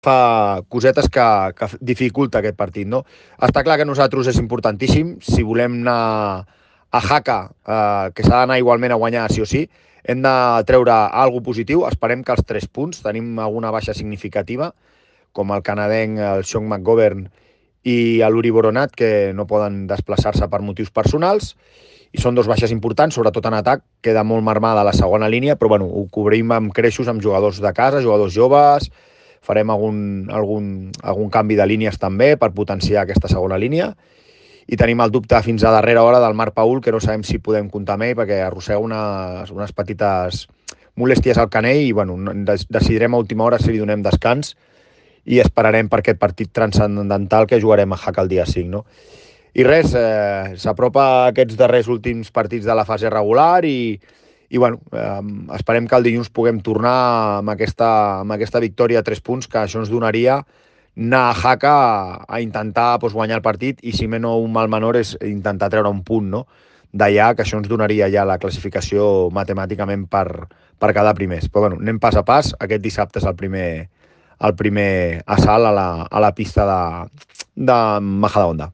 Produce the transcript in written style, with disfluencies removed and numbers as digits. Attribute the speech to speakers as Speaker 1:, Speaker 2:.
Speaker 1: fa cosetes que dificulta aquest partit, no? Està clar que nosaltres és importantíssim, si volem anar a Jaca, que s'ha d'anar igualment a guanyar sí o sí, hem de treure alguna positiu, esperem que els 3 punts, tenim alguna baixa significativa, com el canadenc, el Sean McGovern i l'Uri Boronat, que no poden desplaçar-se per motius personals, i són dos baixes importants, sobretot en atac, queda molt marmada la segona línia, però bueno, ho cobrim amb creixos, amb jugadors de casa, jugadors joves, farem algun canvi de línies també per potenciar aquesta segona línia, i tenim el dubte fins a darrera hora del Marc Paul, que no sabem si podem comptar amb ell, perquè arrossega unes petites molèsties al canell, i bueno, decidirem a última hora si li donem descans, i esperarem per aquest partit transcendental que jugarem a Jaca el dia 5, no? I res, s'apropa aquests darrers últims partits de la fase regular i bueno, esperem que el dilluns puguem tornar amb aquesta victòria a 3 punts, que això ens donaria anar a Jaca a intentar guanyar el partit, i si no un mal menor és intentar treure un punt, no? D'allà, que això ens donaria ja la classificació matemàticament per quedar primers. Però bueno, anem pas a pas. Aquest dissabte és el primer assalt a la pista de Majadahonda.